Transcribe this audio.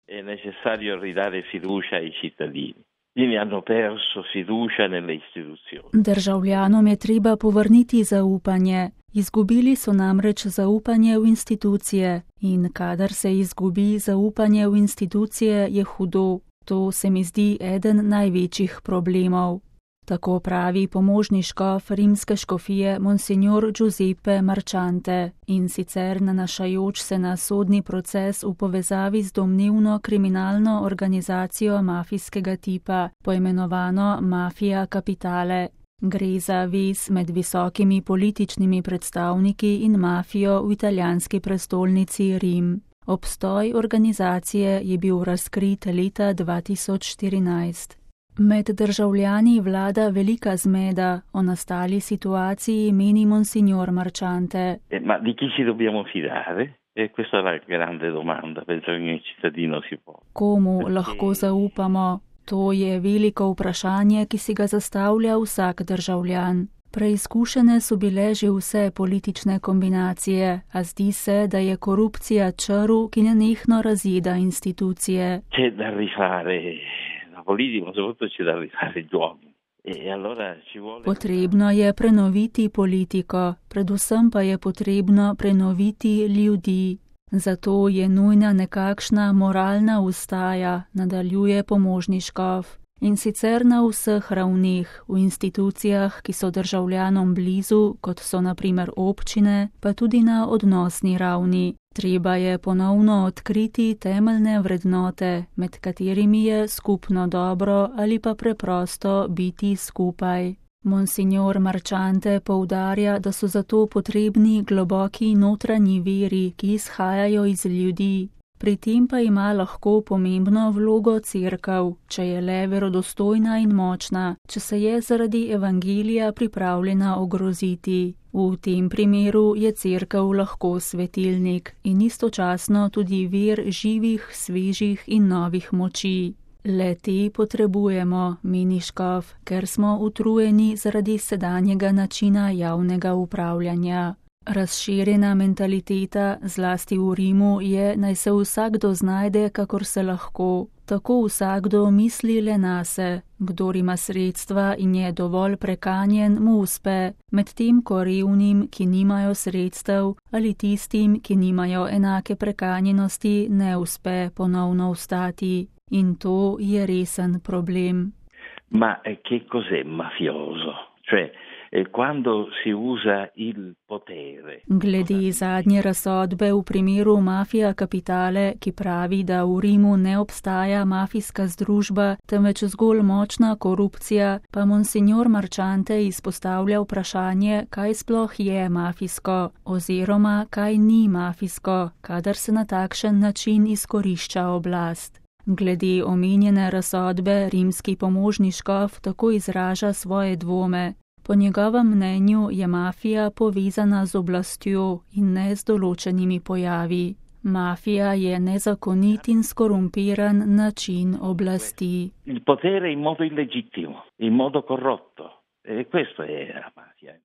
è necessario ridare fiducia ai cittadini. Quindi hanno perso fiducia nelle istituzioni. Državljanom je treba povrniti zaupanje. Izgubili so namreč zaupanje v institucije in kadar se izgubi zaupanje v institucije, je hudo. To se mi zdi eden največjih problemov. Tako pravi pomožni škof rimske škofije Monsignor Giuseppe Marchante, in sicer nanašajoč se na sodni proces v povezavi z domnevno kriminalno organizacijo mafijskega tipa, poimenovano Mafia Capitale. Gre za vez med visokimi političnimi predstavniki in mafijo v italijanski prestolnici Rim. Obstoj organizacije je bil razkrit leta 2014. Med državljani vlada velika zmeda. O nastali situaciji meni Monsignor Marchante. Ma di chi ci dobbiamo fidare? Questa è la grande domanda, penso che ogni cittadino si può. Komu lahko zaupamo? To je veliko vprašanje, ki si ga zastavlja vsak državljan. Preizkušene so bile že vse politične kombinacije, a zdi se, da je korupcija črv, ki nenehno razjeda institucije. C'è da rifare la politica, ma soprattutto c'è da rifare gli uomini. E allora ci vuole... Potrebno je prenoviti politiko, predvsem pa je potrebno prenoviti ljudi. Zato je nujna nekakšna moralna ustaja, nadaljuje pomožni škof. In sicer na vseh ravneh, v institucijah, ki so državljanom blizu, kot so na primer občine, pa tudi na odnosni ravni. Treba je ponovno odkriti temeljne vrednote, med katerimi je skupno dobro ali pa preprosto biti skupaj. Monsignor Marchante poudarja, da so zato potrebni globoki notranji viri, ki izhajajo iz ljudi. Pri tem pa ima lahko pomembno vlogo cerkev, če je le verodostojna in močna, če se je zaradi evangelija pripravljena ogroziti. V tem primeru je cerkev lahko svetilnik in istočasno tudi vir živih, svežih in novih moči. Le te potrebujemo, meni škof, ker smo utrujeni zaradi sedanjega načina javnega upravljanja. Razširjena mentaliteta, zlasti v Rimu, je, naj se vsakdo znajde, kakor se lahko. Tako vsakdo misli le nase. Kdor ima sredstva in je dovolj prekanjen, mu uspe, medtem ko revnim, ki nimajo sredstev, ali tistim, ki nimajo enake prekanjenosti, ne uspe ponovno vstati. In to je resen problem. Ma che cos'è mafioso? Cioè, quando si usa il potere. Glede zadnje razsodbe v primeru Mafia Capitale, ki pravi, da v Rimu ne obstaja mafijska združba, temveč zgolj močna korupcija, pa Monsignor Marchante izpostavlja vprašanje, kaj sploh je mafijsko, oziroma kaj ni mafijsko, kadar se na takšen način izkorišča oblast. Glede omenjene razsodbe rimski pomožni škof tako izraža svoje dvome. Po njegovem mnenju je mafija povezana z oblastjo in ne z določenimi pojavi. Mafija je nezakonit in skorumpiran način oblasti. Il potere in modo illegittimo, in modo corrotto. E questo è la mafia.